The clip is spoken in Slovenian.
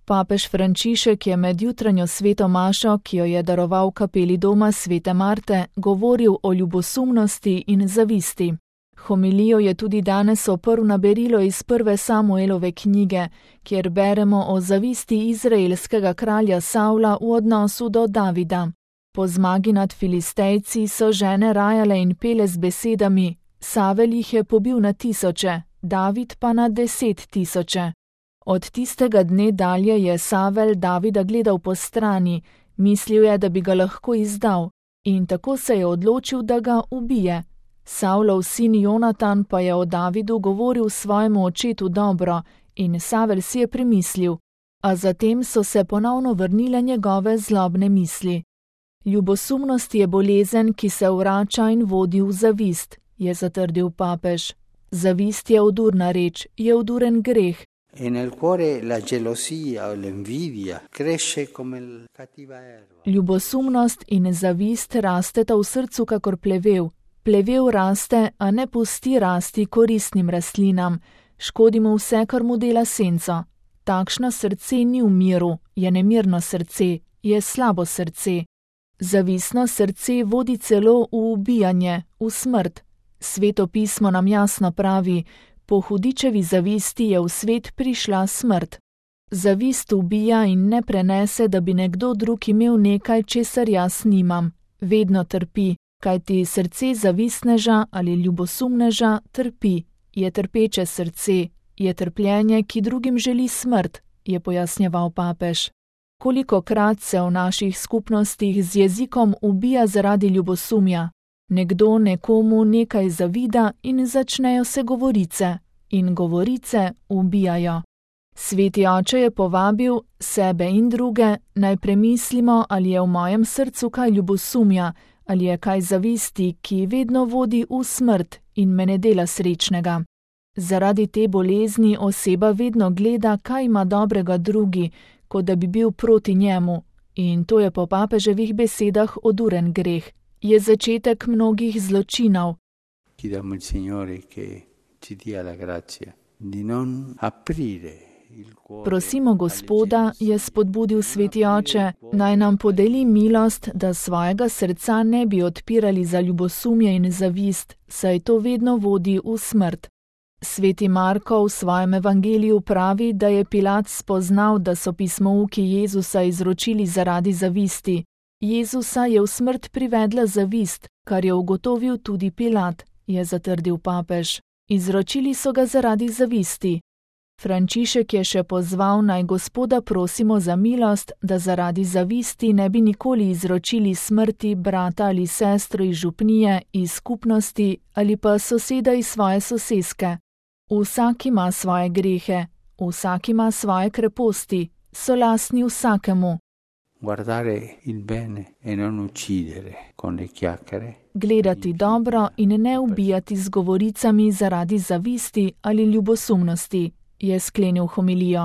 Papež Frančišek je med jutranjo sveto mašo, ki jo je daroval kapeli doma svete Marte, govoril o ljubosumnosti in zavisti. Homilijo je tudi danes oprl na berilo iz prve Samuelove knjige, kjer beremo o zavisti izraelskega kralja Savla v odnosu do Davida. Po zmagi nad Filistejci so žene rajale in pele z besedami: Savel jih je pobil na tisoče, David pa na 10 000. Od tistega dne dalje je Savel Davida gledal po strani, mislil je, da bi ga lahko izdal, in tako se je odločil, da ga ubije. Savlov sin Jonatan pa je o Davidu govoril svojemu očetu dobro in Savel si je premislil, a zatem so se ponovno vrnile njegove zlobne misli. Ljubosumnost je bolezen, ki se vrača in vodi v zavist, je zatrdil papež. Zavist je odurna reč, je oduren greh. E nel cuore la gelosia o l'invidia cresce come la cattiva erba. Ljubosumnost in zavist rasteta v srcu kakor plevel. Plevel raste, a ne pusti rasti koristnim rastlinam. Škodi mu vse, kar mu dela senco. Takšno srce ni v miru, je nemirno srce, je slabo srce. Zavistno srce vodi celo v ubijanje, v smrt. Sveto pismo nam jasno pravi: po hudičevi zavisti je v svet prišla smrt. Zavist ubija in ne prenese, da bi nekdo drug imel nekaj, česar jaz nimam. Vedno trpi, kajti srce zavistneža ali ljubosumneža trpi. Je trpeče srce, je trpljenje, ki drugim želi smrt, je pojasnjeval papež. Kolikokrat se v naših skupnostih z jezikom ubija zaradi ljubosumja. Nekdo nekomu nekaj zavida in začnejo se govorice. In govorice ubijajo. Sveti oče je povabil sebe in druge, naj premislimo, ali je v mojem srcu kaj ljubosumja, ali je kaj zavisti, ki vedno vodi v smrt in me ne dela srečnega. Zaradi te bolezni oseba vedno gleda, kaj ima dobrega drugi, kot da bi bil proti njemu, in to je po papeževih besedah oduren greh. Je začetek mnogih zločinov. Chiediamo al Signore che ci dia la grazia di non aprire il cuore. Prosimo Gospoda, je spodbudil sveti oče, naj nam podeli milost, da svojega srca ne bi odpirali za ljubosumje in zavist, saj to vedno vodi v smrt. Sveti Marko v svojem evangeliju pravi, da je Pilat spoznal, da so pismouki Jezusa izročili zaradi zavisti. Jezusa je v smrt privedla zavist, kar je ugotovil tudi Pilat, je zatrdil papež. Izročili so ga zaradi zavisti. Frančišek je še pozval, naj Gospoda prosimo za milost, da zaradi zavisti ne bi nikoli izročili smrti brata ali sestro iz župnije, iz skupnosti ali pa soseda iz svoje soseske. Vsak ima svoje grehe, vsak ima svoje kreposti, so lastni vsakemu. Guardare il bene e non uccidere con le chiacchiere. Gledati dobro in ne ubijati z govoricami zaradi zavisti ali ljubosumnosti, je sklenil homilijo.